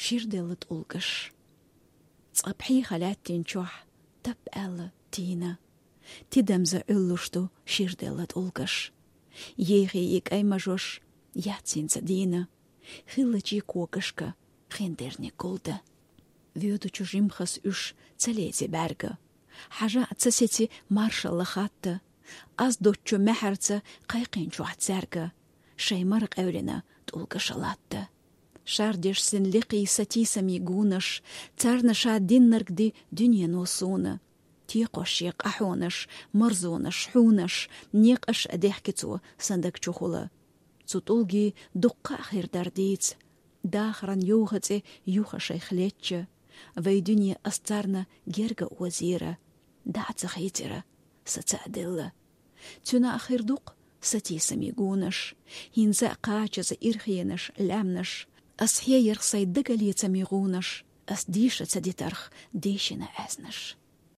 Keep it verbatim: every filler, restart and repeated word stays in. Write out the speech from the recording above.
Ширделла тӀулгаш. Цкъа пхьийха лаьттин чохь тап аьлла тийна. Тидамза Ӏуьллуш ду ширделла тӀулгаш. Ейхи и кӀай мажош яц хӀинца дийна. Хиллачий когашка хиндерниг гулда. Воьдучу жимхас уьш ца леце бӀаьрга. Хьажа а ца сеци маршалла хатта. Аз доцчу маьхьарца кхайкхинчохь цаьрга шайн мара къевлина тӀулгаша латта. Шардеш син лекхий сатийсамий гунаш, царна ша диннарг ди дуьнено суна. Текхош шен къахьонаш, марзонаш, хьунаш, некъаш а дехки цо сан даг чухула. Цу тӀулгий дуккха а хир дара дийца. Дахаран юха цӀе юха шайх лечча, вай дуьне ас царна герга озийра, дӀа а ца хийцира, са ца а делла. Цуьнан а хир ду-кх сатийсамий гунаш, хӀинца а кхачаза ирхенаш, лаьмнаш. Ас хьеярх сайн дагалецамий гӀунаш, ас дийша ца дитарх дийшина аьзнаш.